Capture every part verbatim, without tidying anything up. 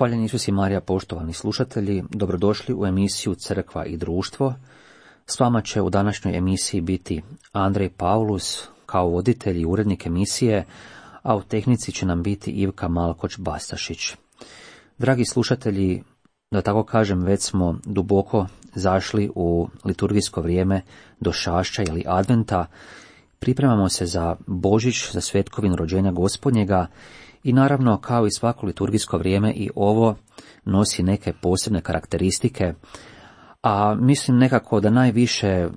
Hvaljen Isus i Marija, poštovani slušatelji, dobrodošli u emisiju Crkva i društvo. S vama će u današnjoj emisiji biti Andrej Paulus kao voditelj i urednik emisije, a u tehnici će nam biti Ivka Malkoć-Bastašić. Dragi slušatelji, da tako kažem, već smo duboko zašli u liturgijsko vrijeme došašća ili adventa. Pripremamo se za Božić, za svetkovinu rođenja Gospodnjega i naravno, kao i svako liturgijsko vrijeme, i ovo nosi neke posebne karakteristike, a mislim nekako da najviše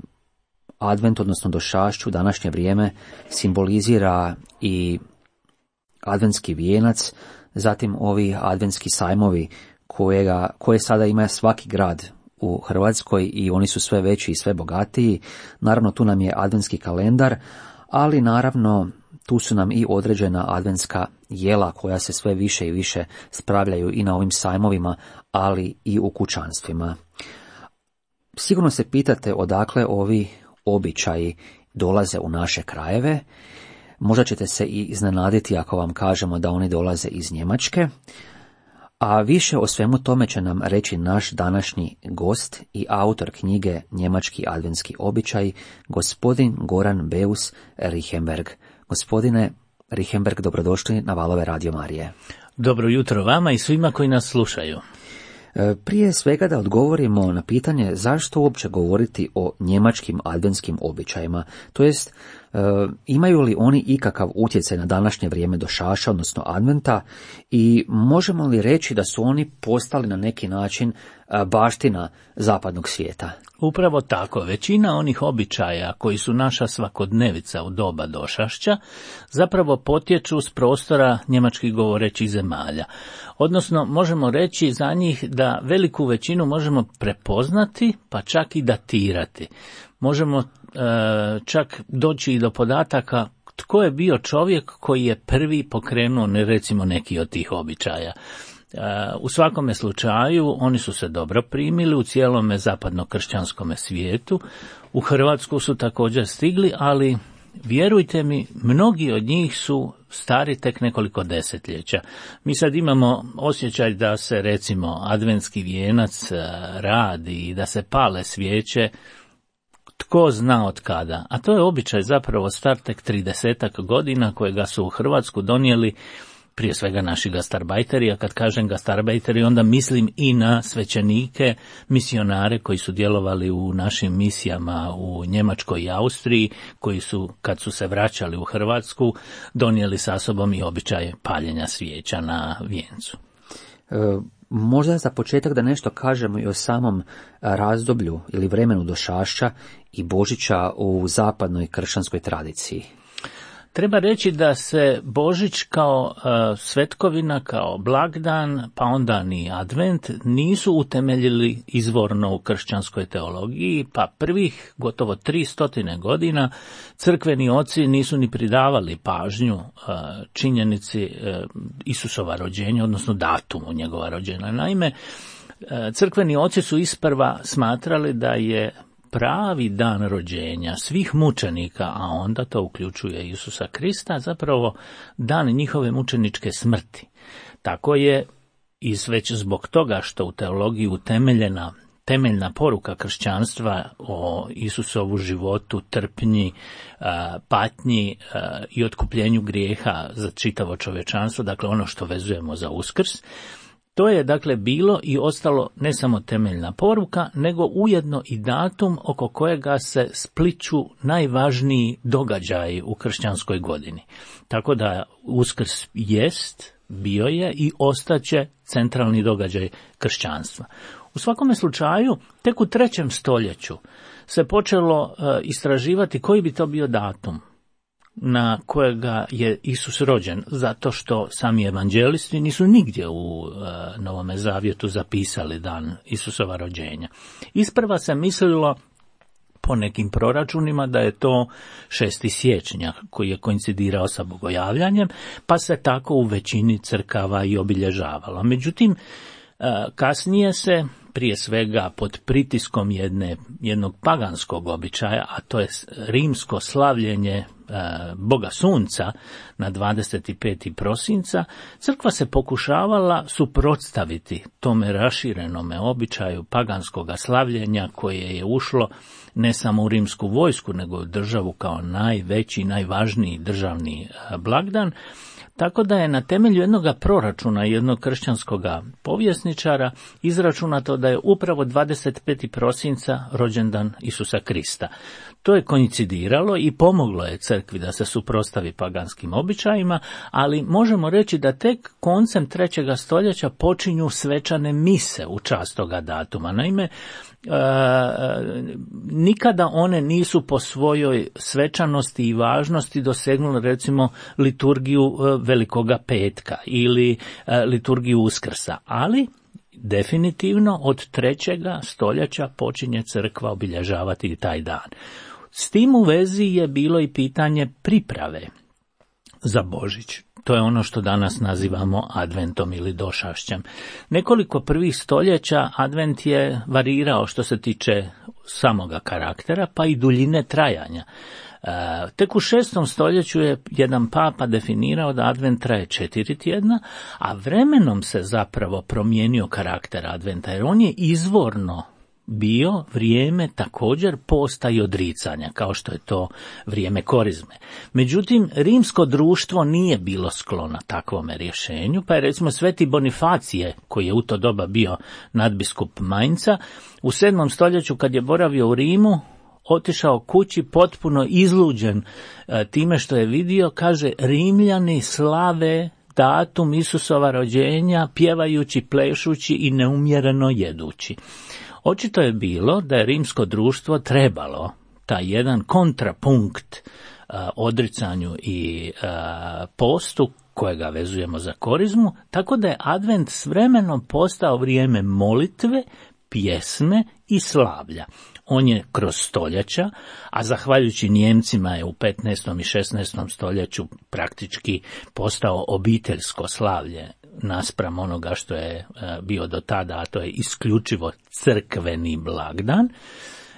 advent, odnosno došašću, današnje vrijeme simbolizira i adventski vijenac, zatim ovi adventski sajmovi kojega, koje sada ima svaki grad u Hrvatskoj i oni su sve veći i sve bogatiji. Naravno, tu nam je adventski kalendar, ali naravno tu su nam i određena adventska jela koja se sve više i više spravljaju i na ovim sajmovima, ali i u kućanstvima. Sigurno se pitate odakle ovi običaji dolaze u naše krajeve. Možda ćete se i iznenaditi ako vam kažemo da oni dolaze iz Njemačke. A više o svemu tome će nam reći naš današnji gost i autor knjige Njemački adventski običaj, gospodin Goran Beus Richembergh. Gospodine Richembergh, dobrodošli na valove Radio Marije. Dobro jutro vama i svima koji nas slušaju. Prije svega da odgovorimo na pitanje zašto uopće govoriti o njemačkim adventskim običajima, to jest imaju li oni ikakav utjecaj na današnje vrijeme došaša, odnosno adventa, i možemo li reći da su oni postali na neki način baština zapadnog svijeta? Upravo tako, većina onih običaja koji su naša svakodnevica u doba došašća zapravo potječu s prostora njemačkih govorećih zemalja. Odnosno, možemo reći za njih da veliku većinu možemo prepoznati, pa čak i datirati. Možemo e, čak doći i do podataka tko je bio čovjek koji je prvi pokrenuo, ne recimo, neki od tih običaja. U svakome slučaju oni su se dobro primili u cijelome zapadno-kršćanskome svijetu. U Hrvatsku su također stigli, ali vjerujte mi, mnogi od njih su stari tek nekoliko desetljeća. Mi sad imamo osjećaj da se recimo adventski vijenac radi i da se pale svijeće tko zna od kada, a to je običaj zapravo star tek tridesetak godina kojega su u Hrvatsku donijeli prije svega naši gastarbajteri, a kad kažem gastarbajteri onda mislim i na svećenike, misionare koji su djelovali u našim misijama u Njemačkoj i Austriji, koji su, kad su se vraćali u Hrvatsku, donijeli sa sobom i običaj paljenja svijeća na vijencu. E, možda za početak da nešto kažemo i o samom razdoblju ili vremenu došašća i Božića u zapadnoj kršćanskoj tradiciji. Treba reći da se Božić kao uh, svetkovina, kao blagdan, pa onda ni advent nisu utemeljili izvorno u kršćanskoj teologiji, pa prvih gotovo tri stotine godina crkveni oci nisu ni pridavali pažnju uh, činjenici uh, Isusova rođenja, odnosno datumu njegova rođenja. Naime, uh, crkveni oci su isprva smatrali da je pravi dan rođenja svih mučenika, a onda to uključuje Isusa Krista, zapravo dan njihove mučeničke smrti. Tako je i već zbog toga što u teologiji utemeljena temeljna poruka kršćanstva o Isusovu životu, trpnji, patnji i otkupljenju grijeha za čitavo čovječanstvo, dakle ono što vezujemo za Uskrs. To je dakle bilo i ostalo ne samo temeljna poruka, nego ujedno i datum oko kojega se spliću najvažniji događaji u kršćanskoj godini. Tako da Uskrs jest, bio je i ostaće centralni događaj kršćanstva. U svakome slučaju, tek u trećem stoljeću se počelo e, istraživati koji bi to bio datum na kojega je Isus rođen, zato što sami evanđelisti nisu nigdje u e, Novome zavjetu zapisali dan Isusova rođenja. Isprva se mislilo po nekim proračunima da je to šesti siječnja koji je koincidirao sa bogojavljanjem, pa se tako u većini crkava i obilježavalo. Međutim, e, kasnije se prije svega pod pritiskom jedne, jednog paganskog običaja, a to je rimsko slavljenje Boga Sunca na dvadeset peti prosinca, crkva se pokušavala suprotstaviti tome raširenome običaju paganskoga slavljenja koje je ušlo ne samo u rimsku vojsku, nego u državu kao najveći, najvažniji državni blagdan. Tako da je na temelju jednog proračuna jednog kršćanskog povjesničara izračunato da je upravo dvadeset peti prosinca rođendan Isusa Krista. To je koincidiralo i pomoglo je crkvi da se suprotstavi paganskim običajima, ali možemo reći da tek koncem trećeg stoljeća počinju svečane mise u čast toga datuma. Naime, E, nikada one nisu po svojoj svečanosti i važnosti dosegnule recimo liturgiju Velikoga petka ili e, liturgiju Uskrsa, ali definitivno od trećega stoljeća počinje crkva obilježavati taj dan. S tim u vezi je bilo i pitanje priprave za Božić. To je ono što danas nazivamo adventom ili došašćem. Nekoliko prvih stoljeća advent je varirao što se tiče samoga karaktera, pa i duljine trajanja. E, tek u šestom stoljeću je jedan papa definirao da advent traje četiri tjedna, a vremenom se zapravo promijenio karakter adventa, jer on je izvorno bio vrijeme također posta i odricanja, kao što je to vrijeme korizme. Međutim, rimsko društvo nije bilo sklono takvome rješenju, pa je recimo Sveti Bonifacije, koji je u to doba bio nadbiskup Mainca, u sedmom stoljeću kad je boravio u Rimu, otišao kući potpuno izluđen e, time što je vidio, kaže, Rimljani slave datum Isusova rođenja, pjevajući, plešući i neumjereno jedući. Očito je bilo da je rimsko društvo trebalo taj jedan kontrapunkt a, odricanju i a, postu kojega vezujemo za korizmu, tako da je advent s vremenom postao vrijeme molitve, pjesme i slavlja. On je kroz stoljeća, a zahvaljujući Nijemcima je u petnaestom i šesnaestom stoljeću praktički postao obiteljsko slavlje naspram onoga što je bio do tada, a to je isključivo crkveni blagdan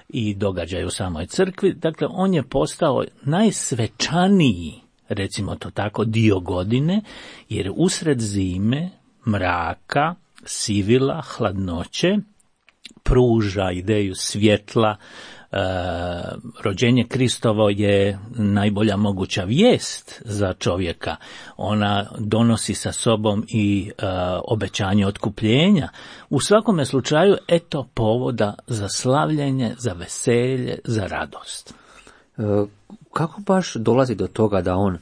i događaj u samoj crkvi. Dakle, on je postao najsvečaniji, recimo to tako, dio godine, jer usred zime, mraka, sivila, hladnoće, pruža ideju svjetla. E, rođenje Kristovo je najbolja moguća vijest za čovjeka. Ona donosi sa sobom i e, obećanje otkupljenja. U svakome slučaju, eto povoda za slavljenje, za veselje, za radost. E, kako baš dolazi do toga da on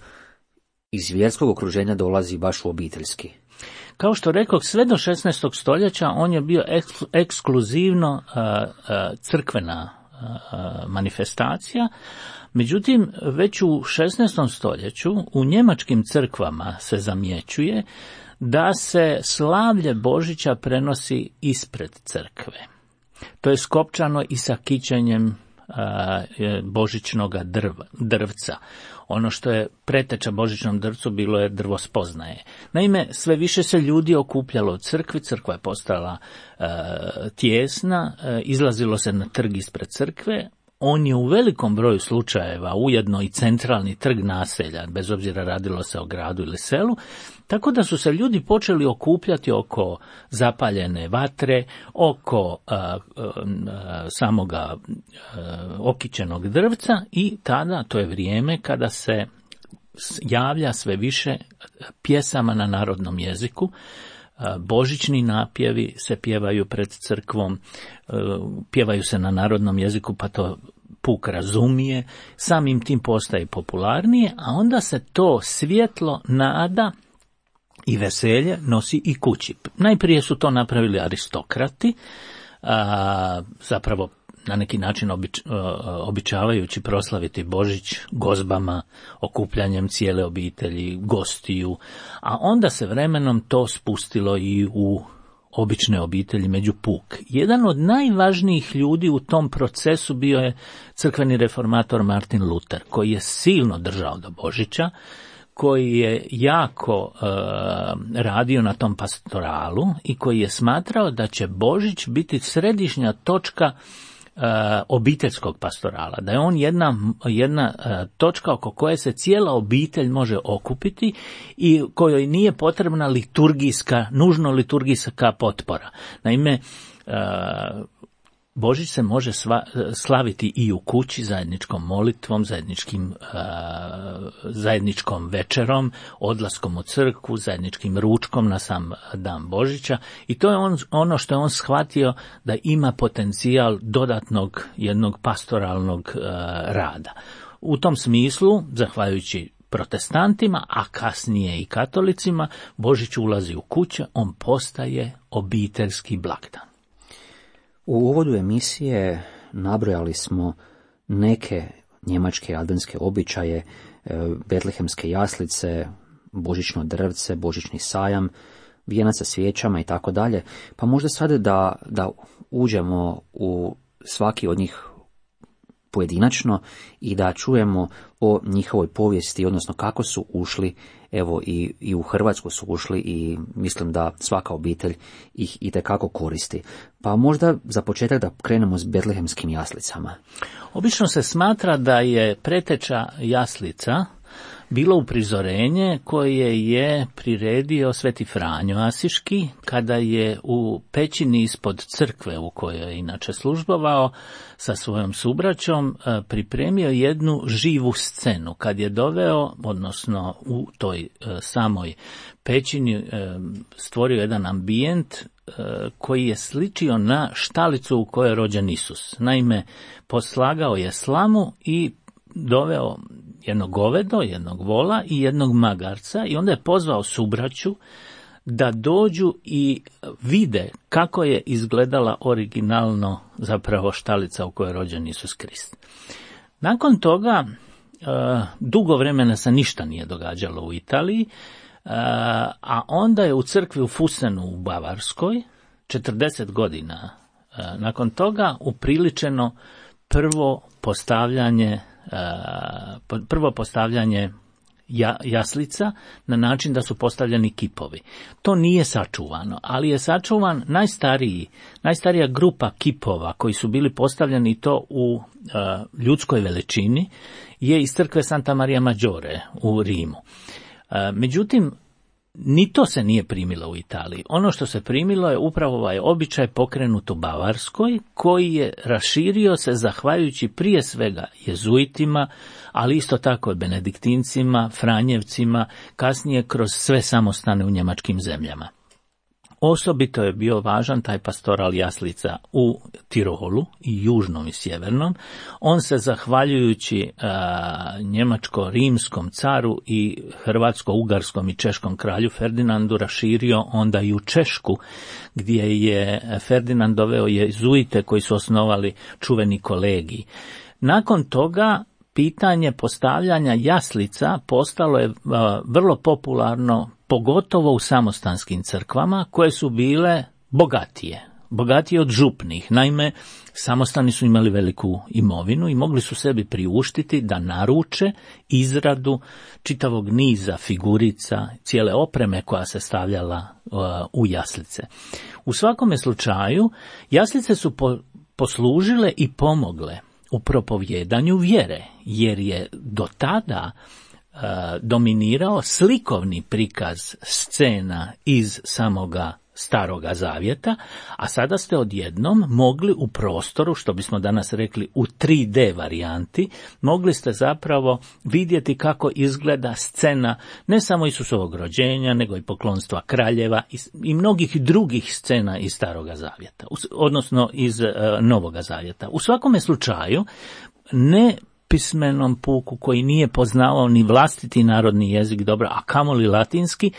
iz vjerskog okruženja dolazi baš u obiteljski? Kao što rekoh, sve do šesnaestog stoljeća on je bio eks- ekskluzivno uh, uh, crkvena uh, manifestacija, međutim već u šesnaestom stoljeću u njemačkim crkvama se zamjećuje da se slavlje Božića prenosi ispred crkve. To je skopčano i sa kićenjem uh, božićnog drva, drvca. Ono što je preteča božićnom drvcu bilo je drvo spoznaje. Naime, sve više se ljudi okupljalo u crkvi, crkva je postala e, tijesna, e, izlazilo se na trg ispred crkve. On je u velikom broju slučajeva ujedno i centralni trg naselja, bez obzira radilo se o gradu ili selu, tako da su se ljudi počeli okupljati oko zapaljene vatre, oko a, a, a, samoga a, okićenog drvca i tada, to je vrijeme kada se javlja sve više pjesama na narodnom jeziku. Božićni napjevi se pjevaju pred crkvom, pjevaju se na narodnom jeziku, pa to puk razumije, samim tim postaje popularnije, a onda se to svjetlo, nada i veselje nosi i kući. Najprije su to napravili aristokrati, a, zapravo na neki način obič, običavajući proslaviti Božić gozbama, okupljanjem cijele obitelji, gostiju, a onda se vremenom to spustilo i u obične obitelji među puk. Jedan od najvažnijih ljudi u tom procesu bio je crkveni reformator Martin Luther, koji je silno držao do Božića, koji je jako e, radio na tom pastoralu i koji je smatrao da će Božić biti središnja točka obiteljskog pastorala, da je on jedna, jedna točka oko koje se cijela obitelj može okupiti i kojoj nije potrebna liturgijska, nužno liturgijska potpora. Naime, Božić se može sva, slaviti i u kući zajedničkom molitvom, zajedničkim, uh, zajedničkom večerom, odlaskom u crkvu, zajedničkim ručkom na sam dan Božića i to je on, ono što je on shvatio da ima potencijal dodatnog jednog pastoralnog uh, rada. U tom smislu, zahvaljujući protestantima, a kasnije i katolicima, Božić ulazi u kuće, on postaje obiteljski blagdan. U uvodu emisije nabrojali smo neke njemačke adventske običaje, betlehemske jaslice, božićno drvce, božićni sajam, vijenac sa svijećama i tako dalje. Pa možda sada da, da uđemo u svaki od njih pojedinačno i da čujemo o njihovoj povijesti, odnosno kako su ušli, evo i, i u Hrvatsku su ušli i mislim da svaka obitelj ih itekako koristi. Pa možda za početak da krenemo s betlehemskim jaslicama. Obično se smatra da je preteča jaslica bilo uprizorenje koje je priredio Sveti Franjo Asiški kada je u pećini ispod crkve u kojoj je inače službovao sa svojom subraćom pripremio jednu živu scenu. Kad je doveo, odnosno u toj samoj pećini stvorio jedan ambijent koji je sličio na štalicu u kojoj je rođen Isus. Naime, poslagao je slamu i doveo jednog govedo, jednog vola i jednog magarca i onda je pozvao subraću da dođu i vide kako je izgledala originalno zapravo štalica u kojoj je rođen Isus Krist. Nakon toga dugo vremena se ništa nije događalo u Italiji, a onda je u crkvi u Fusenu u Bavarskoj četrdeset godina nakon toga upriličeno prvo postavljanje prvo postavljanje jaslica na način da su postavljeni kipovi. To nije sačuvano, ali je sačuvan najstariji, najstarija grupa kipova koji su bili postavljeni to u uh, ljudskoj veličini je iz crkve Santa Maria Maggiore u Rimu. Uh, međutim, ni to se nije primilo u Italiji. Ono što se primilo je upravo ovaj običaj pokrenut u Bavarskoj, koji je raširio se zahvaljujući prije svega jezuitima, ali isto tako i benediktincima, franjevcima, kasnije kroz sve samostane u njemačkim zemljama. Osobito je bio važan taj pastoral jaslica u Tirolu, i južnom i sjevernom. On se zahvaljujući a, njemačko-rimskom caru i hrvatsko-ugarskom i češkom kralju Ferdinandu raširio onda i u Češku, gdje je Ferdinand doveo jezuite koji su osnovali čuveni kolegij. Nakon toga pitanje postavljanja jaslica postalo je a, vrlo popularno, pogotovo u samostanskim crkvama koje su bile bogatije, bogatije od župnih. Naime, samostani su imali veliku imovinu i mogli su sebi priuštiti da naruče izradu čitavog niza figurica, cijele opreme koja se stavljala uh, u jaslice. U svakome slučaju, jaslice su po, poslužile i pomogle u propovjedanju vjere, jer je do tada dominirao slikovni prikaz scena iz samoga Staroga Zavjeta, a sada ste odjednom mogli u prostoru, što bismo danas rekli u tri D varijanti, mogli ste zapravo vidjeti kako izgleda scena ne samo Isusovog rođenja, nego i poklonstva kraljeva i, i mnogih drugih scena iz Staroga Zavjeta, odnosno iz uh, Novoga Zavjeta. U svakome slučaju, ne pismenom puku koji nije poznavao ni vlastiti narodni jezik dobro, a kamoli latinski,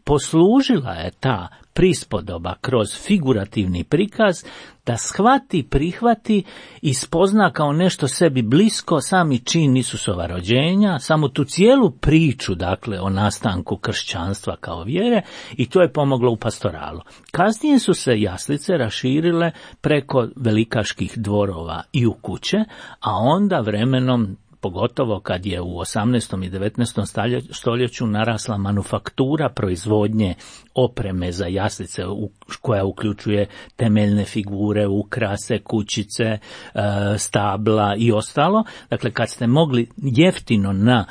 poslužila je ta prispodoba kroz figurativni prikaz da shvati, prihvati i spozna kao nešto sebi blisko sami čin Isusova rođenja, samo tu cijelu priču, dakle, o nastanku kršćanstva kao vjere, i to je pomoglo u pastoralu. Kasnije su se jaslice raširile preko velikaških dvorova i u kuće, a onda vremenom pogotovo kad je u osamnaestom i devetnaestom stoljeću narasla manufaktura proizvodnje opreme za jaslice koja uključuje temeljne figure, ukrase, kućice, stabla i ostalo. Dakle, kad ste mogli jeftino na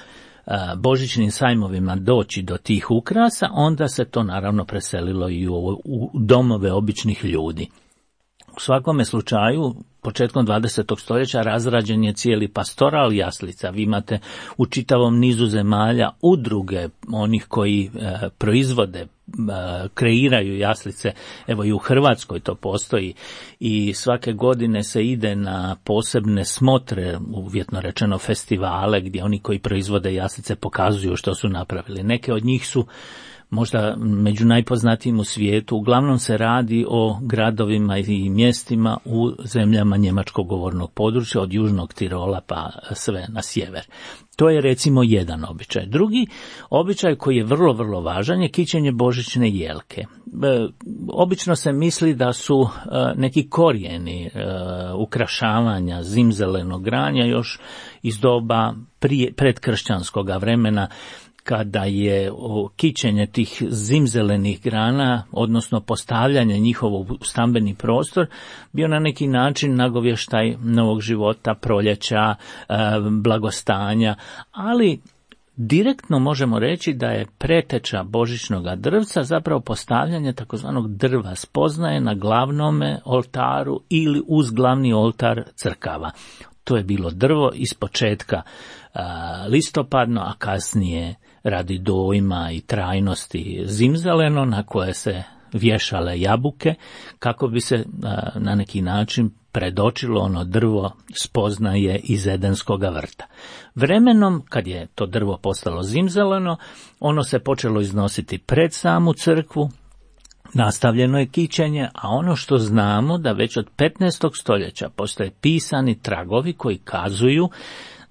božićnim sajmovima doći do tih ukrasa, onda se to naravno preselilo i u, u domove običnih ljudi. U svakome slučaju, početkom dvadesetog stoljeća razrađen je cijeli pastoral jaslica. Vi imate u čitavom nizu zemalja udruge onih koji e, proizvode, e, kreiraju jaslice. Evo i u Hrvatskoj to postoji i svake godine se ide na posebne smotre, uvjetno rečeno festivale, gdje oni koji proizvode jaslice pokazuju što su napravili. Neke od njih su možda među najpoznatijim u svijetu. Uglavnom se radi o gradovima i mjestima u zemljama njemačkog govornog područja, od južnog Tirola pa sve na sjever. To je recimo jedan običaj. Drugi običaj koji je vrlo, vrlo važan je kićenje božićne jelke. E, obično se misli da su e, neki korijeni e, ukrašavanja zimzelenog granja još iz doba prije, predkršćanskog vremena, kada je kićenje tih zimzelenih grana, odnosno postavljanje njihovo u stambeni prostor, bio na neki način nagovještaj novog života, proljeća, blagostanja, ali direktno možemo reći da je preteča božićnog drvca zapravo postavljanje takozvanog drva spoznaje na glavnome oltaru ili uz glavni oltar crkava. To je bilo drvo iz početka listopadno, a kasnije radi dojma i trajnosti zimzeleno, na koje se vješale jabuke kako bi se na neki način predočilo ono drvo spoznaje iz Edenskoga vrta. Vremenom, kad je to drvo postalo zimzeleno, ono se počelo iznositi pred samu crkvu, nastavljeno je kićenje, a ono što znamo da već od petnaestog stoljeća postoje pisani tragovi koji kazuju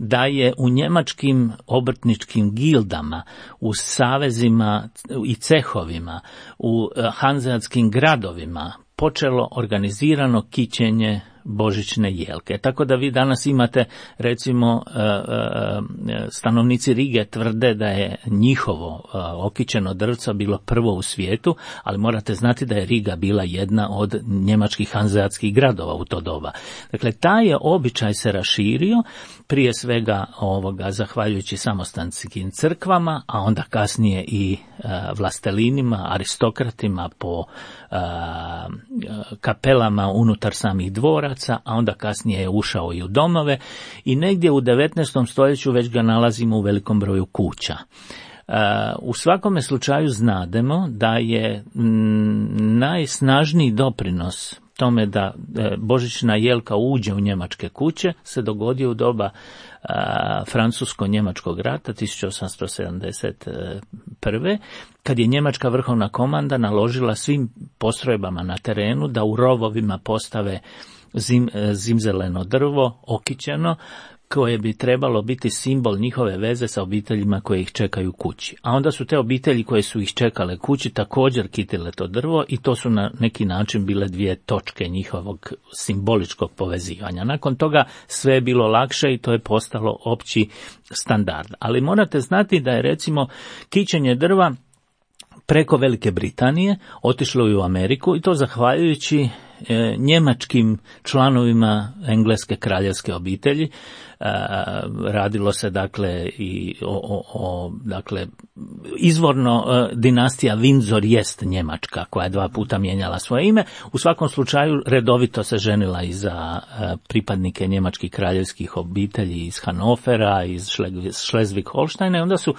da je u njemačkim obrtničkim gildama, u savezima i cehovima, u hanzeatskim gradovima počelo organizirano kićenje božićne jelke. Tako da vi danas imate, recimo, stanovnici Rige tvrde da je njihovo okićeno drvca bilo prvo u svijetu, ali morate znati da je Riga bila jedna od njemačkih hanzeatskih gradova u to doba. Dakle, taj je običaj se raširio, prije svega ovoga zahvaljujući samostanskim crkvama, a onda kasnije i vlastelinima, aristokratima po kapelama unutar samih dvoraca, a onda kasnije je ušao i u domove i negdje u devetnaestom stoljeću već ga nalazimo u velikom broju kuća. U svakome slučaju znademo da je najsnažniji doprinos tome da božićna jelka uđe u njemačke kuće se dogodio u doba Francusko-njemačkog rata tisuću osamsto sedamdeset prve. kad je njemačka vrhovna komanda naložila svim postrojbama na terenu da u rovovima postave zim, zimzeleno drvo, okićeno, koje bi trebalo biti simbol njihove veze sa obiteljima koje ih čekaju kući. A onda su te obitelji koje su ih čekale kući također kitile to drvo i to su na neki način bile dvije točke njihovog simboličkog povezivanja. Nakon toga sve je bilo lakše i to je postalo opći standard. Ali morate znati da je recimo kićenje drva preko Velike Britanije otišlo i u Ameriku i to zahvaljujući e, njemačkim članovima engleske kraljevske obitelji. E, radilo se dakle i o, o, o dakle izvorno e, dinastija Windsor jest njemačka koja je dva puta mijenjala svoje ime. U svakom slučaju redovito se ženila i za e, pripadnike njemačkih kraljevskih obitelji iz Hanofera, iz Schleswig-Holsteina i onda su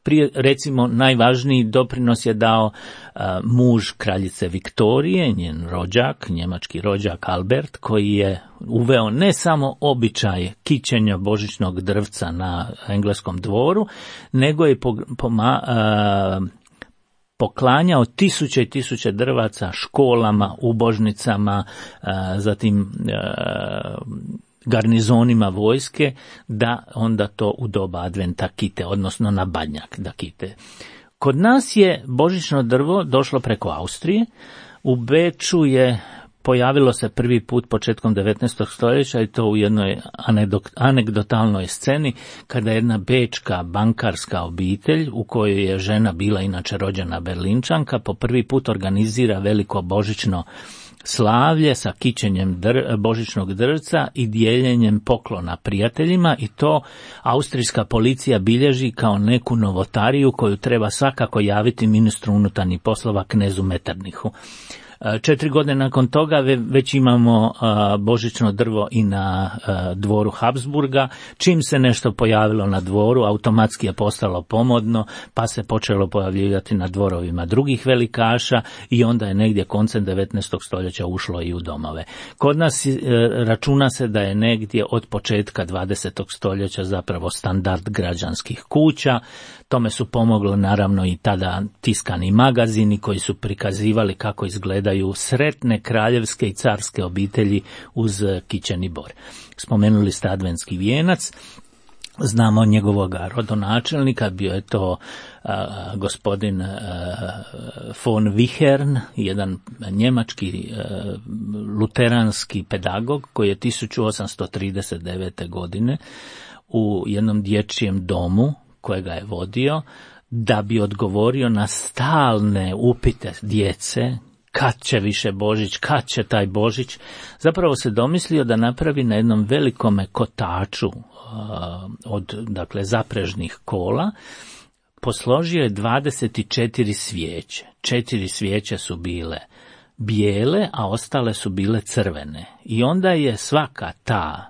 prije, recimo, najvažniji doprinos je dao uh, muž kraljice Viktorije, njen rođak, njemački rođak Albert, koji je uveo ne samo običaj kićenja božićnog drvca na engleskom dvoru, nego je po, poma, uh, poklanjao tisuće i tisuće drvaca školama, ubožnicama, uh, zatim uh, garnizonima vojske, da onda to u doba adventa kite, odnosno na Badnjak da kite. Kod nas je božićno drvo došlo preko Austrije. U Beču je pojavilo se prvi put početkom devetnaestog stoljeća i to u jednoj anegdotalnoj sceni kada jedna bečka bankarska obitelj u kojoj je žena bila inače rođena Berlinčanka po prvi put organizira veliko božićno slavlje sa kićenjem dr, božićnog drvca i dijeljenjem poklona prijateljima i to austrijska policija bilježi kao neku novotariju koju treba svakako javiti ministru unutarnjih poslova knezu Metternichu. Četiri godine nakon toga već imamo božićno drvo i na dvoru Habsburga. Čim se nešto pojavilo na dvoru, automatski je postalo pomodno, pa se počelo pojavljivati na dvorovima drugih velikaša i onda je negdje koncem devetnaestog stoljeća ušlo i u domove. Kod nas računa se da je negdje od početka dvadesetog stoljeća zapravo standard građanskih kuća. Tome su pomogli naravno i tada tiskani magazini koji su prikazivali kako izgledaju sretne kraljevske i carske obitelji uz kićeni bor. Spomenuli ste adventski vijenac, znamo njegovog rodonačelnika, bio je to a, gospodin a, von Wichern, jedan njemački a, luteranski pedagog koji je tisuću osamsto trideset devete. godine u jednom dječjem domu kojega je vodio, da bi odgovorio na stalne upite djece, kad će više Božić, kad će taj Božić, zapravo se domislio da napravi na jednom velikome kotaču uh, od dakle zaprežnih kola, posložio je dvadeset četiri svijeće. Četiri svijeće su bile bijele, a ostale su bile crvene. I onda je svaka ta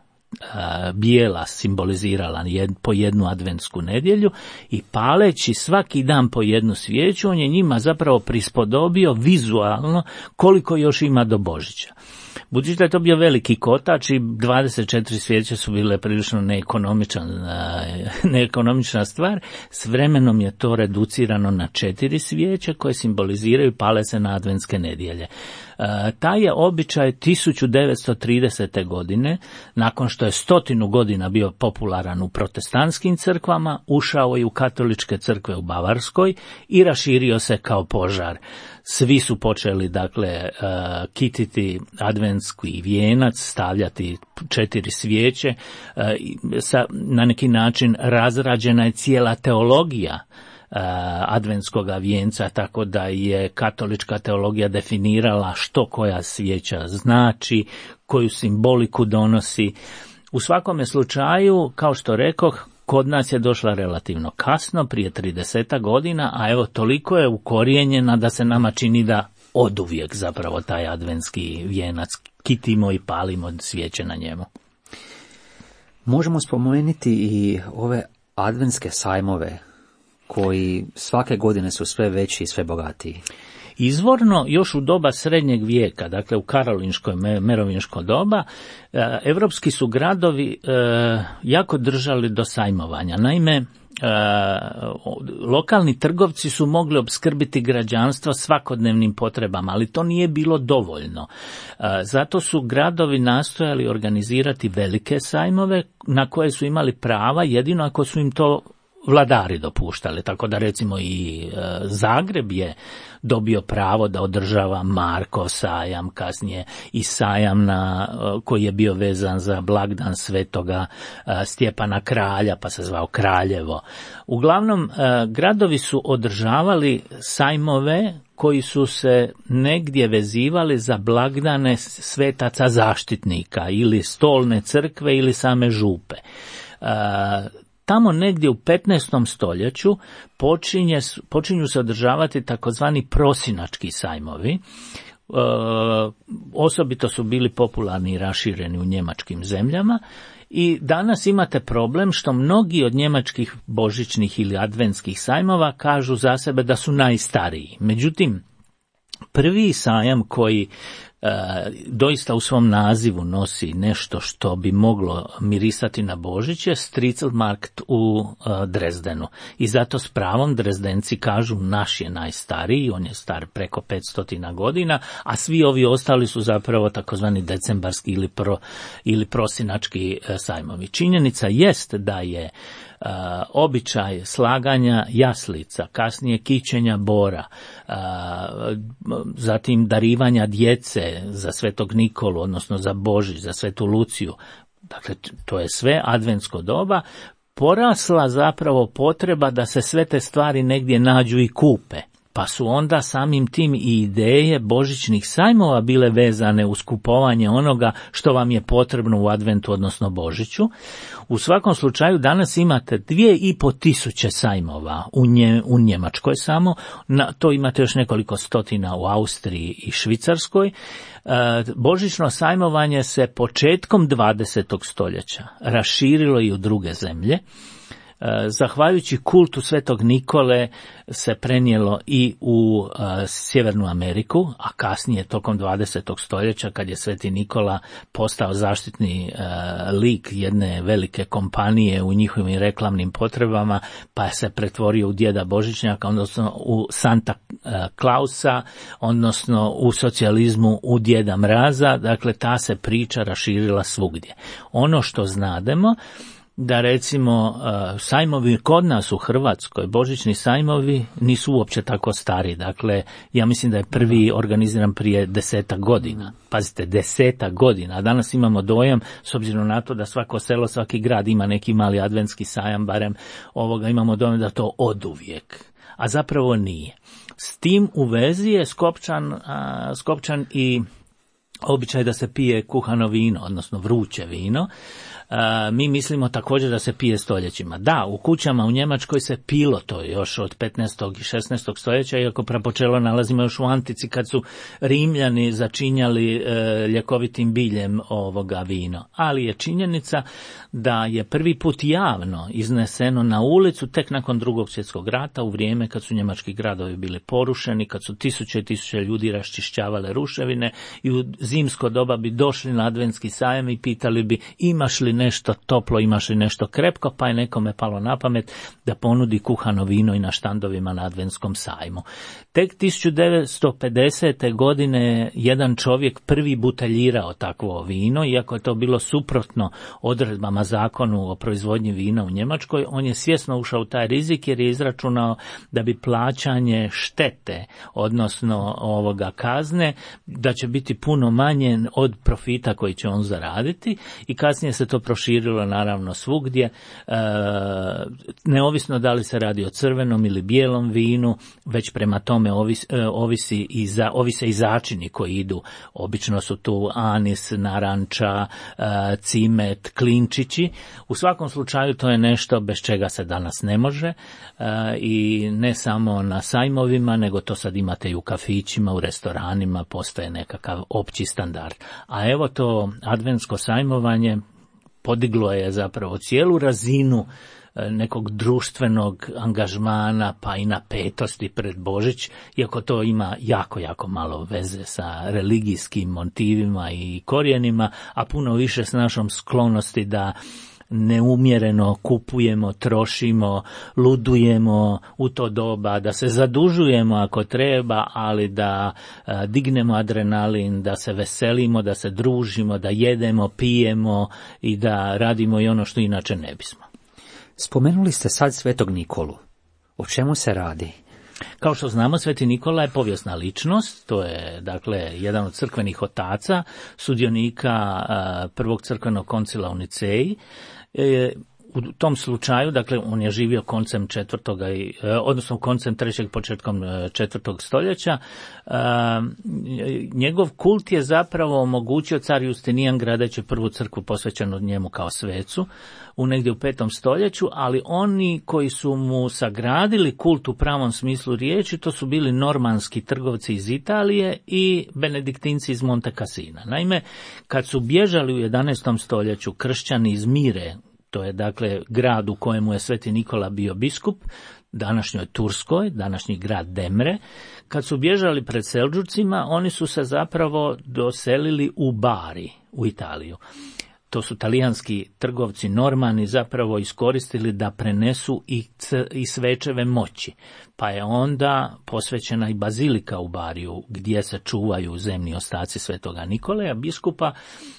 bijela simbolizirala jed, po jednu adventsku nedjelju i paleći svaki dan po jednu svijeću, on je njima zapravo prispodobio vizualno koliko još ima do Božića. Budući da je to bio veliki kotač i dvadeset četiri svijeće su bile prilično neekonomičan, neekonomična stvar, s vremenom je to reducirano na četiri svijeće koje simboliziraju pale se na adventske nedjelje. Taj je običaj tisuću devetsto tridesete. godine, nakon što je stotinu godina bio popularan u protestantskim crkvama, ušao je u katoličke crkve u Bavarskoj i raširio se kao požar. Svi su počeli, dakle, uh, kititi adventski vijenac, stavljati četiri svijeće. Uh, sa, na neki način razrađena je cijela teologija uh, adventskoga vijenca, tako da je katolička teologija definirala što koja svijeća znači, koju simboliku donosi. U svakome slučaju, kao što rekoh, kod nas je došla relativno kasno, prije trideset godina, a evo toliko je ukorijenjena da se nama čini da oduvijek zapravo taj adventski vijenac kitimo i palimo svijeće na njemu. Možemo spomenuti i ove adventske sajmove koji svake godine su sve veći i sve bogatiji. Izvorno, još u doba srednjeg vijeka, dakle u karolinško merovinško doba, evropski su gradovi jako držali do sajmovanja. Naime, lokalni trgovci su mogli opskrbiti građanstvo svakodnevnim potrebama, ali to nije bilo dovoljno. Zato su gradovi nastojali organizirati velike sajmove na koje su imali prava jedino ako su im to vladari dopuštali, tako da recimo i e, Zagreb je dobio pravo da održava Markov sajam, kasnije i sajam na, e, koji je bio vezan za blagdan svetoga e, Stjepana Kralja, pa se zvao Kraljevo. Uglavnom, e, gradovi su održavali sajmove koji su se negdje vezivali za blagdane svetaca zaštitnika ili stolne crkve ili same župe. E, Tamo negdje u petnaestom stoljeću počinje, počinju se održavati takozvani prosinački sajmovi. E, osobito su bili popularni i rašireni u njemačkim zemljama i danas imate problem što mnogi od njemačkih božićnih ili adventskih sajmova kažu za sebe da su najstariji. Međutim, prvi sajam koji E, doista u svom nazivu nosi nešto što bi moglo mirisati na Božić je Striezelmarkt u e, Drezdenu. I zato s pravom Drezdenci kažu naš je najstariji, on je star preko petsto godina, a svi ovi ostali su zapravo takozvani decembarski ili, pro, ili prosinački e, sajmovi. Činjenica jest da je Uh, običaj slaganja jaslica, kasnije kićenja bora, uh, zatim darivanja djece dakle za Svetog Nikolu, odnosno za Božić, za Svetu Luciju, dakle to je sve adventsko doba, porasla zapravo potreba da se sve te stvari negdje nađu i kupe. Pa su onda samim tim i ideje božićnih sajmova bile vezane uz kupovanje onoga što vam je potrebno u adventu, odnosno Božiću. U svakom slučaju danas imate dvije i po tisuće sajmova u, nje, u Njemačkoj samo, na, to imate još nekoliko stotina u Austriji i Švicarskoj. E, božićno sajmovanje se početkom dvadesetog stoljeća raširilo i u druge zemlje. Zahvaljujući kultu Svetog Nikole se prenijelo i u uh, Sjevernu Ameriku, a kasnije tokom dvadesetog stoljeća kad je Sveti Nikola postao zaštitni uh, lik jedne velike kompanije u njihovim reklamnim potrebama, pa se pretvorio u djeda Božićnjaka, odnosno u Santa Klausa, odnosno u socijalizmu u djeda Mraza. Dakle, ta se priča raširila svugdje. Ono što znademo da recimo sajmovi kod nas u Hrvatskoj, božićni sajmovi nisu uopće tako stari. Dakle, ja mislim da je prvi organiziran prije desetak godina. Pazite, desetak godina. A danas imamo dojam, s obzirom na to da svako selo, svaki grad ima neki mali adventski sajam, barem ovoga, imamo dojam da to oduvijek. A zapravo nije. S tim u vezi je skopčan, a, skopčan i običaj da se pije kuhano vino, odnosno vruće vino. Uh, mi mislimo također da se pije stoljećima. Da, u kućama u Njemačkoj se pilo to još od petnaestog i šesnaestog stoljeća, iako prapočelo nalazimo još u antici kad su Rimljani začinjali uh, ljekovitim biljem ovoga vino. Ali je činjenica da je prvi put javno izneseno na ulicu tek nakon Drugog svjetskog rata, u vrijeme kad su njemački gradovi bili porušeni, kad su tisuće i tisuće ljudi raščišćavale ruševine i u zimsko doba bi došli na adventski sajam i pitali bi imaš li nešto toplo, imaš li nešto krepko, pa je nekome palo na pamet da ponudi kuhano vino i na štandovima na adventskom sajmu. Tek tisuću devetsto pedesete godine jedan čovjek prvi buteljirao takvo vino, iako je to bilo suprotno odredbama zakonu o proizvodnji vina u Njemačkoj, on je svjesno ušao u taj rizik jer je izračunao da bi plaćanje štete, odnosno ovoga kazne, da će biti puno manje od profita koji će on zaraditi i kasnije se to proširilo naravno svugdje, e, neovisno da li se radi o crvenom ili bijelom vinu, već prema tome ovis, e, ovisi i za, ovise i začini koji idu. Obično su tu anis, naranča, e, cimet, klinčići. U svakom slučaju to je nešto bez čega se danas ne može e, i ne samo na sajmovima, nego to sad imate i u kafićima, u restoranima, postoje nekakav opći standard. A evo to adventsko sajmovanje podiglo je zapravo cijelu razinu nekog društvenog angažmana pa i napetosti pred Božić, iako to ima jako, jako malo veze sa religijskim motivima i korijenima, a puno više s našom sklonosti da neumjereno kupujemo, trošimo, ludujemo u to doba, da se zadužujemo ako treba, ali da a, dignemo adrenalin, da se veselimo, da se družimo, da jedemo, pijemo i da radimo i ono što inače ne bismo. Spomenuli ste sad Svetog Nikolu. O čemu se radi? Kao što znamo, Sveti Nikola je povijesna ličnost, to je dakle jedan od crkvenih otaca, sudionika a, prvog crkvenog koncila u Niceji. E, u tom slučaju, dakle, on je živio koncem četvrtoga, i, odnosno koncem trećeg, početkom četvrtog stoljeća. E, njegov kult je zapravo omogućio car Justinijan gradeći prvu crkvu posvećenu njemu kao svecu u negdje u petom stoljeću, ali oni koji su mu sagradili kult u pravom smislu riječi, to su bili normanski trgovci iz Italije i benediktinci iz Monte Cassina. Naime, kad su bježali u jedanaestom stoljeću kršćani iz Mire, to je dakle grad u kojemu je Sveti Nikola bio biskup, današnjoj Turskoj, današnji grad Demre, kad su bježali pred Seldžucima, oni su se zapravo doselili u Bari, u Italiju. to su talijanski trgovci Normani zapravo iskoristili da prenesu i, c, i svečeve moći. Pa je onda posvećena i bazilika u Bariju gdje se čuvaju zemni ostaci svetoga Nikolaja, biskupa,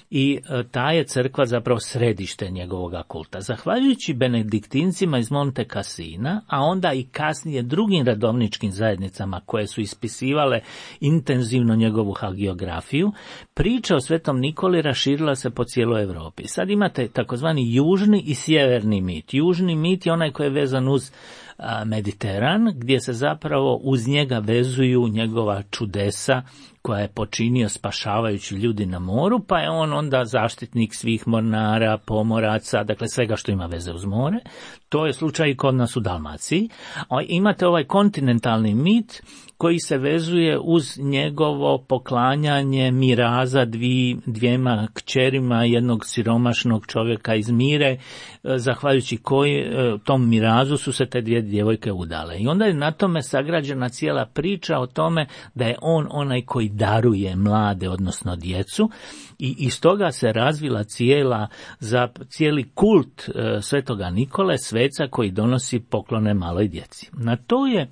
i ta je crkva zapravo središte njegovoga kulta. Zahvaljujući benediktincima iz Monte Cassina, a onda i kasnije drugim redovničkim zajednicama koje su ispisivale intenzivno njegovu hagiografiju, priča o svetom Nikoli raširila se po cijeloj Europi. Sad imate takozvani južni i sjeverni mit. Južni mit je onaj koji je vezan uz Mediteran, gdje se zapravo uz njega vezuju njegova čudesa koja je počinio spašavajući ljudi na moru, pa je on onda zaštitnik svih mornara, pomoraca, dakle svega što ima veze uz more. To je slučaj i kod nas u Dalmaciji. A imate ovaj kontinentalni mit koji se vezuje uz njegovo poklanjanje miraza dvi, dvijema kćerima jednog siromašnog čovjeka iz Mire, zahvaljujući koji tom mirazu su se te dvije djevojke udale. I onda je na tome sagrađena cijela priča o tome da je on onaj koji daruje mlade, odnosno djecu, i iz toga se razvila cijela, za cijeli kult e, svetoga Nikole, sveca koji donosi poklone maloj djeci. Na to je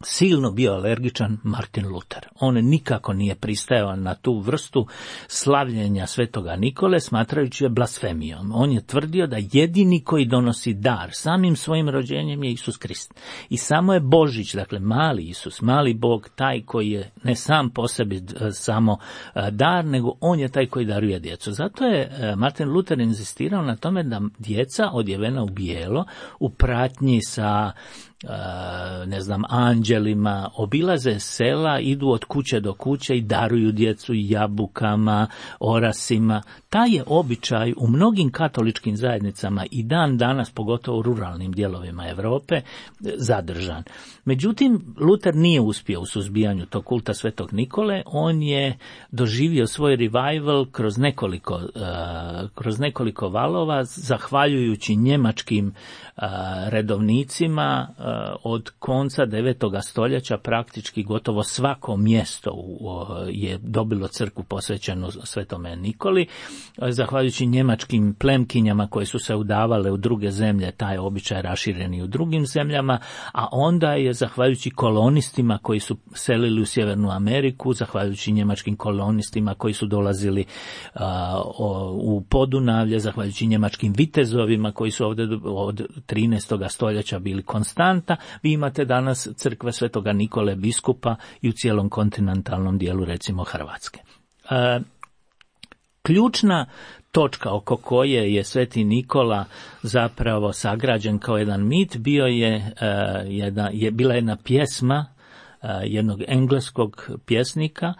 silno bio alergičan Martin Luther. On nikako nije pristajao na tu vrstu slavljenja svetoga Nikole, smatrajući je blasfemijom. On je tvrdio da jedini koji donosi dar samim svojim rođenjem je Isus Krist. I samo je Božić, dakle mali Isus, mali Bog, taj koji je ne sam po sebi samo dar, nego on je taj koji daruje djecu. Zato je Martin Luther inzistirao na tome da djeca odjevena u bijelo, u pratnji sa ne znam, anđelima, obilaze sela, idu od kuće do kuće i daruju djecu jabukama, orasima. Taj je običaj u mnogim katoličkim zajednicama i dan danas, pogotovo u ruralnim dijelovima Europe, zadržan. Međutim, Luther nije uspio u suzbijanju tog kulta svetog Nikole. On je doživio svoj revival kroz nekoliko, uh, kroz nekoliko valova, zahvaljujući njemačkim uh, redovnicima. Uh, od konca devetoga stoljeća praktički gotovo svako mjesto uh, je dobilo crkvu posvećenu svetome Nikoli. Uh, zahvaljujući njemačkim plemkinjama koje su se udavale u druge zemlje, taj običaj raširen i u drugim zemljama, a onda je zahvaljujući kolonistima koji su selili u Sjevernu Ameriku, zahvaljujući njemačkim kolonistima koji su dolazili uh, u Podunavlje, zahvaljujući njemačkim vitezovima koji su ovdje od trinaestoga stoljeća bili konstanta, vi imate danas crkve svetoga Nikole biskupa i u cijelom kontinentalnom dijelu, recimo Hrvatske. Uh, ključna točka oko koje je sveti Nikola zapravo sagrađen kao jedan mit bio je, uh, jedna, je bila jedna pjesma uh, jednog engleskog pjesnika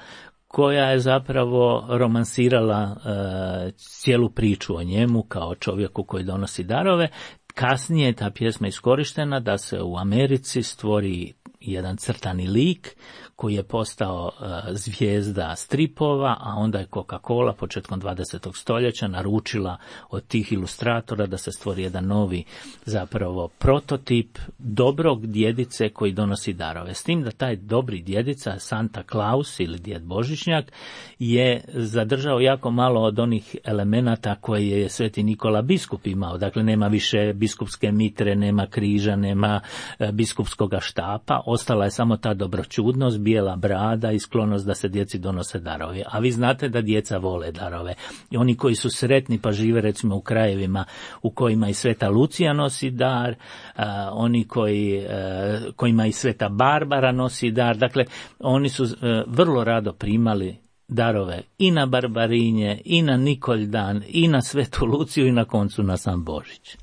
koja je zapravo romansirala uh, cijelu priču o njemu kao čovjeku koji donosi darove. Kasnije je ta pjesma iskorištena da se u Americi stvori jedan crtani lik koji je postao uh, zvijezda stripova, a onda je Coca-Cola početkom dvadesetog stoljeća naručila od tih ilustratora da se stvori jedan novi zapravo prototip dobrog djedice koji donosi darove. S tim da taj dobri djedica, Santa Claus ili djed Božićnjak, je zadržao jako malo od onih elemenata koje je sveti Nikola biskup imao. Dakle, nema više biskupske mitre, nema križa, nema uh, biskupskoga štapa, ostala je samo ta dobroćudnost, bijela brada i sklonost da se djeci donose darovi. A vi znate da djeca vole darove. I oni koji su sretni pa žive recimo u krajevima u kojima i sveta Lucija nosi dar, a, oni koji, a, kojima i sveta Barbara nosi dar, dakle oni su a, vrlo rado primali darove i na Barbarinje, i na Nikoldan, i na svetu Luciju i na koncu na sam Božić.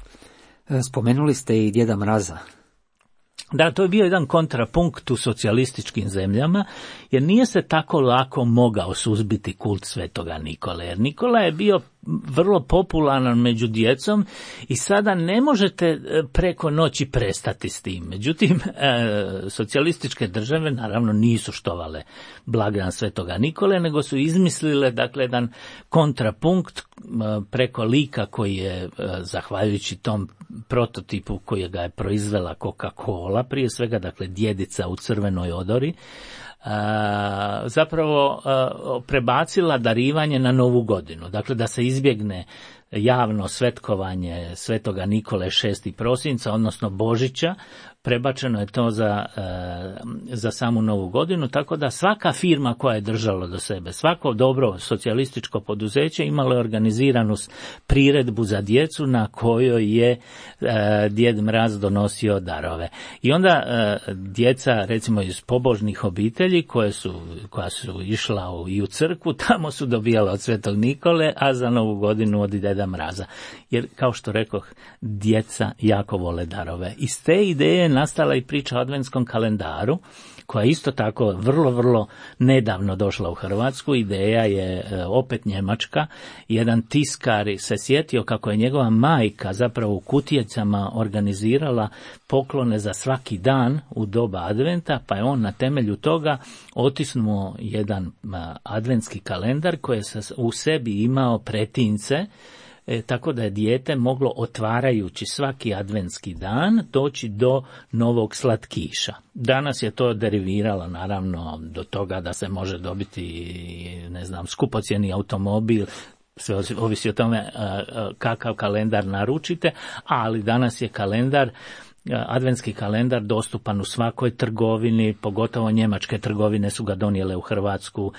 Spomenuli ste i djeda Mraza. Da, to je bio jedan kontrapunkt u socijalističkim zemljama, jer nije se tako lako mogao suzbiti kult svetoga Nikole, jer Nikola je bio vrlo popularan među djecom i sada ne možete preko noći prestati s tim. Međutim, e, socijalističke države naravno nisu štovale blagdan svetoga Nikole, nego su izmislile dakle jedan kontrapunkt preko lika koji je, e, zahvaljujući tom prototipu koji ga je proizvela Coca-Cola, prije svega dakle djedica u crvenoj odori, Uh, zapravo uh, prebacila darivanje na novu godinu. Dakle, da se izbjegne javno svetkovanje Svetoga Nikole šestog prosinca, odnosno Božića, prebačeno je to za, za samu Novu godinu, tako da svaka firma koja je držala do sebe, svako dobro socijalističko poduzeće imalo je organiziranu priredbu za djecu na kojoj je Djed Mraz donosio darove. I onda djeca, recimo iz pobožnih obitelji koje su, koja su išla u, i u crkvu, tamo su dobijala od Svetog Nikole, a za Novu godinu od Djeda Mraza. Jer, kao što rekoh, djeca jako vole darove. Iz te ideje nastala i priča o adventskom kalendaru, koja je isto tako vrlo, vrlo nedavno došla u Hrvatsku. Ideja je opet njemačka. Jedan tiskar se sjetio kako je njegova majka zapravo u kutijecama organizirala poklone za svaki dan u doba adventa, pa je on na temelju toga otisnuo jedan adventski kalendar koji je u sebi imao pretince, E, tako da je dijete moglo, otvarajući svaki adventski dan, doći do novog slatkiša. Danas je to deriviralo naravno do toga da se može dobiti, ne znam, skupocjeni automobil, sve ovisi o tome kakav kalendar naručite, ali danas je kalendar, adventski kalendar dostupan u svakoj trgovini, pogotovo njemačke trgovine su ga donijele u Hrvatsku,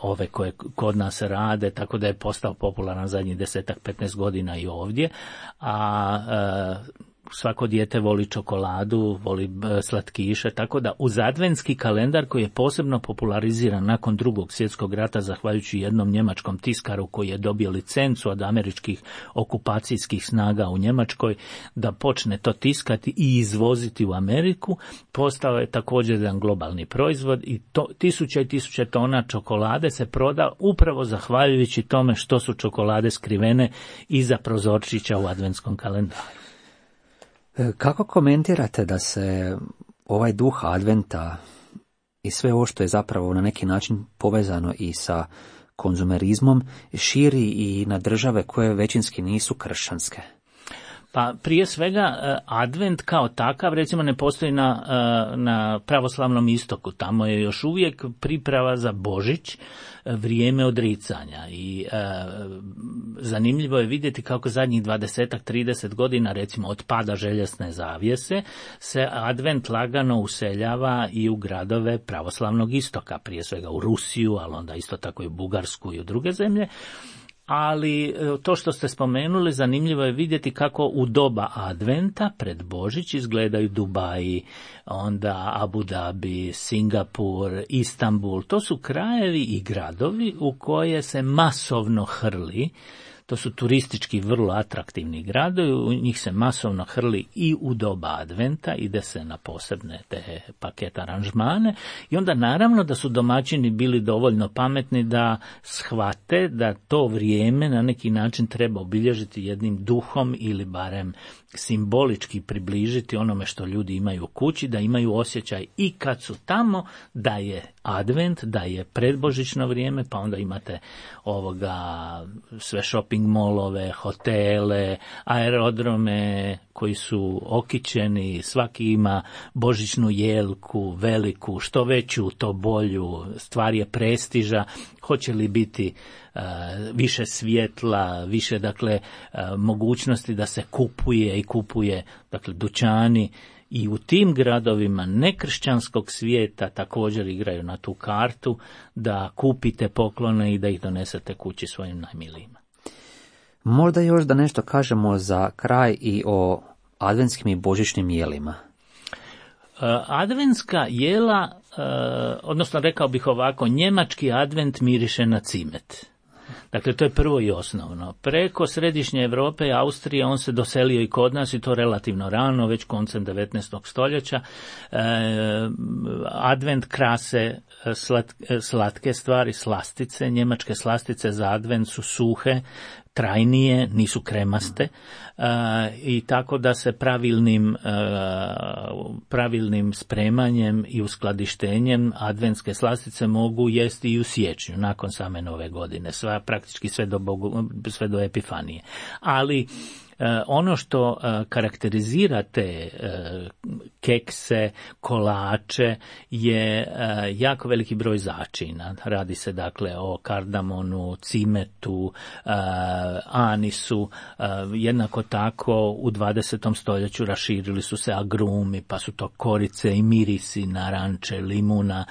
ove koje kod nas rade, tako da je postao popularan zadnjih desetak, petnaest godina i ovdje, a svako dijete voli čokoladu, voli slatkiše, tako da uz adventski kalendar koji je posebno populariziran nakon Drugog svjetskog rata zahvaljujući jednom njemačkom tiskaru koji je dobio licencu od američkih okupacijskih snaga u Njemačkoj da počne to tiskati i izvoziti u Ameriku, postao je također jedan globalni proizvod i to, tisuće i tisuće tona čokolade se proda upravo zahvaljujući tome što su čokolade skrivene iza prozorčića u adventskom kalendaru. Kako komentirate da se ovaj duh adventa i sve ovo što je zapravo na neki način povezano i sa konzumerizmom širi i na države koje većinski nisu kršćanske? Pa prije svega advent kao takav recimo ne postoji na, na pravoslavnom istoku, tamo je još uvijek priprava za Božić, vrijeme odricanja i e, zanimljivo je vidjeti kako zadnjih dvadeset trideset godina recimo od pada željezne zavjese se advent lagano useljava i u gradove pravoslavnog istoka, prije svega u Rusiju, ali onda isto tako i u Bugarsku i u druge zemlje. Ali to što ste spomenuli, zanimljivo je vidjeti kako u doba adventa pred Božić izgledaju Dubaji, onda Abu Dhabi, Singapur, Istanbul. To su krajevi i gradovi u koje se masovno hrli. To su turistički vrlo atraktivni gradovi, u njih se masovno hrli i u doba adventa, ide se na posebne te paket aranžmane i onda naravno da su domaćini bili dovoljno pametni da shvate da to vrijeme na neki način treba obilježiti jednim duhom ili barem simbolički približiti onome što ljudi imaju u kući, da imaju osjećaj i kad su tamo da je advent, da je predbožićno vrijeme, pa onda imate ovoga sve shopping molove, hotele, aerodrome koji su okićeni, svaki ima božićnu jelku, veliku, što veću, to bolju, stvar je prestiža, hoće li biti uh, više svjetla, više dakle uh, mogućnosti da se kupuje i kupuje, dakle dućani i u tim gradovima nekršćanskog svijeta također igraju na tu kartu da kupite poklone i da ih donesete kući svojim najmilijima. Možda još da nešto kažemo za kraj i o adventskim i božićnim jelima. Adventska jela, odnosno rekao bih ovako, njemački advent miriše na cimet. Dakle, to je prvo i osnovno. Preko središnje Europe i Austrije on se doselio i kod nas i to relativno rano, već koncem devetnaestog stoljeća. E, advent krase slat, slatke stvari, slastice. Njemačke slastice za advent su suhe, trajnije, nisu kremaste, e, i tako da se pravilnim, e, pravilnim spremanjem i uskladištenjem adventske slastice mogu jesti i u siječnju, nakon same nove godine, sva, praktički sve do, Bogu, sve do Epifanije. Ali e, ono što e, karakterizira te e, kekse, kolače je jako veliki broj začina. Radi se dakle o kardamonu, cimetu, anisu. Jednako tako u dvadesetom stoljeću raširili su se agrumi, pa su to korice i mirisi, naranče, limuna.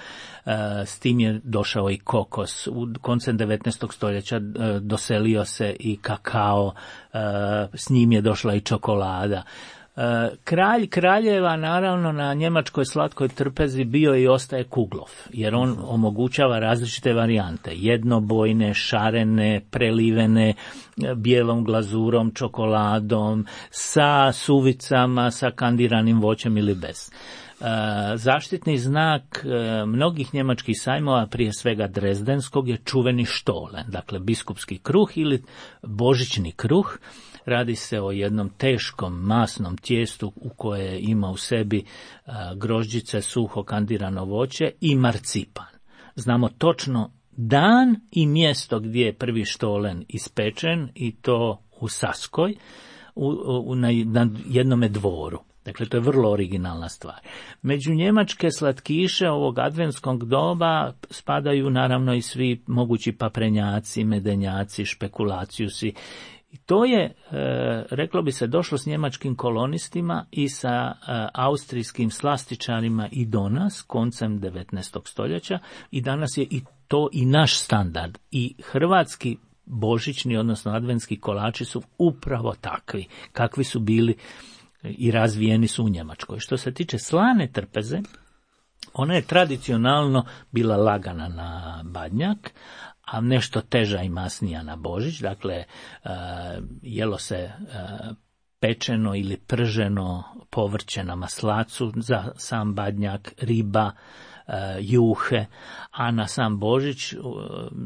S tim je došao i kokos. U koncem devetnaestog stoljeća doselio se i kakao, s njim je došla i čokolada. Kralj kraljeva naravno na njemačkoj slatkoj trpezi bio i ostaje Kuglov, jer on omogućava različite varijante, jednobojne, šarene, prelivene bijelom glazurom, čokoladom, sa suvicama, sa kandiranim voćem ili bez. Zaštitni znak mnogih njemačkih sajmova, prije svega drezdenskog, je čuveni štolen, dakle biskupski kruh ili božićni kruh. Radi se o jednom teškom masnom tijestu u koje ima u sebi grožđice, suho kandirano voće i marcipan. Znamo točno dan i mjesto gdje je prvi štolen ispečen, i to u Saskoj, u, u, na, na jednome dvoru. Dakle, to je vrlo originalna stvar. Među njemačke slatkiše ovog adventskog doba spadaju naravno i svi mogući paprenjaci, medenjaci, špekulacijusi. I to je, e, reklo bi se, došlo s njemačkim kolonistima i sa e, austrijskim slastičarima i do nas koncem devetnaestog stoljeća, i danas je i to i naš standard. I hrvatski božićni, odnosno adventski kolači su upravo takvi, kakvi su bili i razvijeni su u Njemačkoj. Što se tiče slane trpeze, ona je tradicionalno bila lagana na badnjak, a nešto teža i masnija na Božić. Dakle, jelo se pečeno ili prženo povrće na maslacu, za sam badnjak riba, juhe, a na sam Božić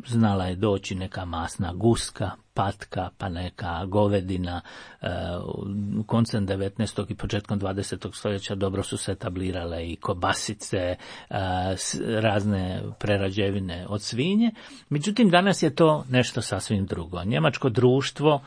znala je doći neka masna guska, patka, pa neka govedina. U koncem devetnaestog i početkom dvadesetog stoljeća dobro su se etablirale i kobasice, razne prerađevine od svinje. Međutim, danas je to nešto sasvim drugo. Njemačko društvo,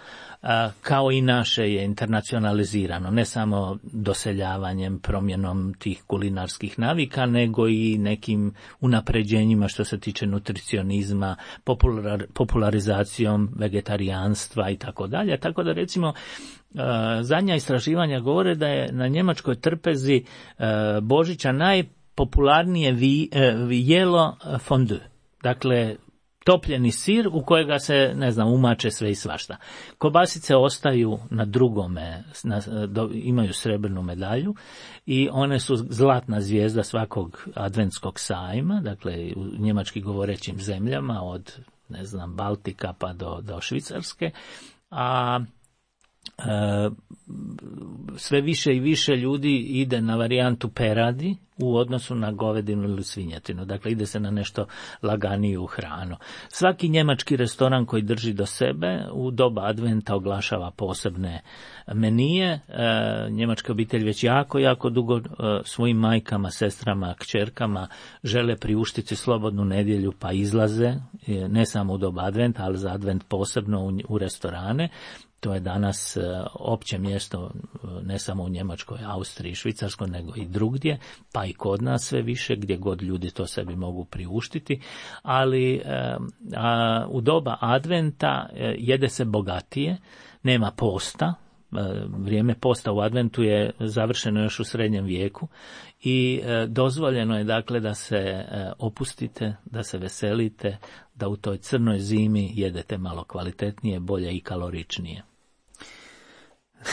kao i naše, je internacionalizirano, ne samo doseljavanjem, promjenom tih kulinarskih navika, nego i nekim unapređenjima što se tiče nutricionizma, popular, popularizacijom vegetarijanstva i tako dalje. Tako da, recimo, zadnja istraživanja govore da je na njemačkoj trpezi Božića najpopularnije vi, jelo fondue. Dakle, topljeni sir u kojega se, ne znam, umače sve i svašta. Kobasice ostaju na drugome, na, do, imaju srebrnu medalju i one su zlatna zvijezda svakog adventskog sajma, dakle u njemački govorećim zemljama od, ne znam, Baltika pa do, do Švicarske, a e, sve više i više ljudi ide na varijantu peradi u odnosu na govedinu ili svinjetinu. Dakle, ide se na nešto laganiju hranu. Svaki njemački restoran koji drži do sebe u doba adventa oglašava posebne menije. E, njemačka obitelj već jako, jako dugo e, svojim majkama, sestrama, kćerkama žele priuštiti slobodnu nedjelju, pa izlaze, e, ne samo u doba adventa, ali za advent posebno u, u restorane. To je danas uh, opće mjesto ne samo u Njemačkoj, Austriji, Švicarskoj, nego i drugdje, pa i kod nas sve više, gdje god ljudi to sebi mogu priuštiti. Ali uh, a, u doba adventa uh, jede se bogatije, nema posta. Uh, vrijeme posta u adventu je završeno još u srednjem vijeku i uh, dozvoljeno je dakle da se uh, opustite, da se veselite, da u toj crnoj zimi jedete malo kvalitetnije, bolje i kaloričnije.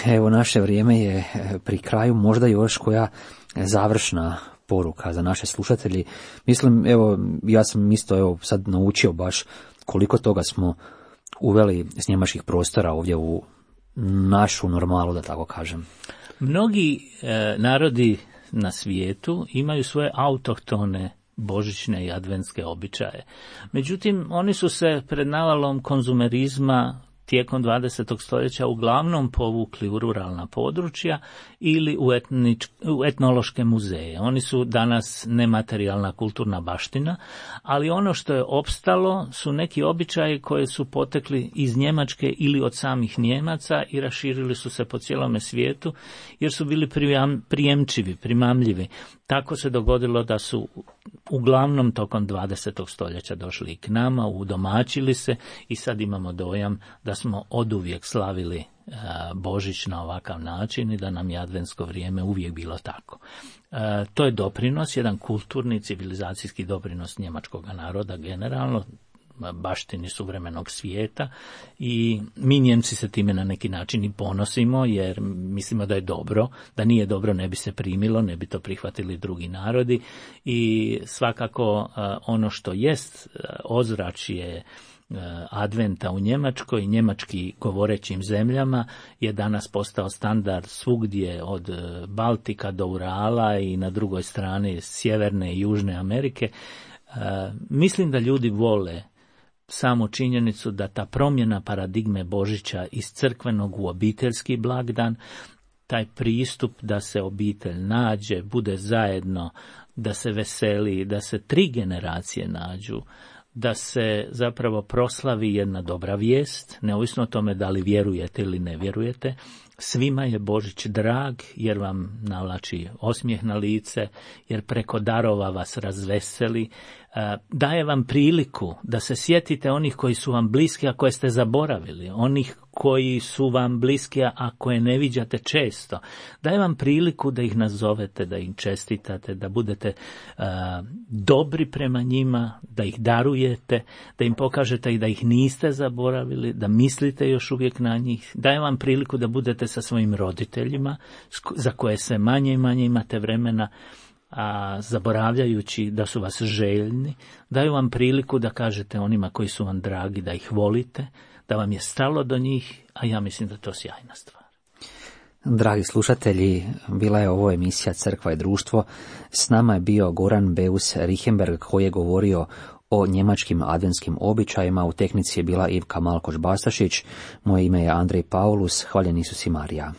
Evo, naše vrijeme je pri kraju, možda još koja završna poruka za naše slušatelji. Mislim, evo, ja sam isto evo sad naučio baš koliko toga smo uveli s njemačkih prostora ovdje u našu normalu, da tako kažem. Mnogi e, narodi na svijetu imaju svoje autohtone božićne i adventske običaje. Međutim, oni su se pred navalom konzumerizma tijekom dvadesetog stoljeća uglavnom povukli u ruralna područja ili u, etnič, u etnološke muzeje. Oni su danas nematerijalna kulturna baština, ali ono što je opstalo su neki običaji koji su potekli iz Njemačke ili od samih Nijemaca i raširili su se po cijelome svijetu jer su bili prijemčivi, primamljivi. Tako se dogodilo da su uglavnom tokom dvadesetog stoljeća došli i k nama, udomaćili se i sad imamo dojam da smo oduvijek slavili Božić na ovakav način i da nam je adventsko vrijeme uvijek bilo tako. E, to je doprinos, jedan kulturni, civilizacijski doprinos njemačkog naroda generalno, baštini suvremenog svijeta i mi Njemci se time na neki način i ponosimo jer mislimo da je dobro, da nije dobro ne bi se primilo, ne bi to prihvatili drugi narodi i svakako ono što jest ozračje adventa u Njemačkoj i njemački govorećim zemljama je danas postao standard svugdje od Baltika do Urala i na drugoj strani Sjeverne i Južne Amerike. Mislim da ljudi vole samu činjenicu da ta promjena paradigme Božića iz crkvenog u obiteljski blagdan, taj pristup da se obitelj nađe, bude zajedno, da se veseli, da se tri generacije nađu, da se zapravo proslavi jedna dobra vijest, neovisno o tome da li vjerujete ili ne vjerujete. Svima je Božić drag jer vam navlači osmijeh na lice, jer preko darova vas razveseli, daje vam priliku da se sjetite onih koji su vam bliski, a koje ste zaboravili, onih koji su vam bliski, a koje ne viđate često. Daje vam priliku da ih nazovete, da im čestitate, da budete uh, dobri prema njima, da ih darujete, da im pokažete i da ih niste zaboravili, da mislite još uvijek na njih. Daje vam priliku da budete sa svojim roditeljima, za koje se manje i manje imate vremena, a zaboravljajući da su vas željni. Daju vam priliku da kažete onima koji su vam dragi da ih volite, da vam je stalo do njih, a ja mislim da je to sjajna stvar. Dragi slušatelji, bila je ovo emisija Crkva i društvo. S nama je bio Goran Beus Richemberg koji je govorio o njemačkim adventskim običajima. U tehnici je bila Ivka Malkoš-Bastašić. Moje ime je Andrej Paulus. Hvaljeni Isus i Marija.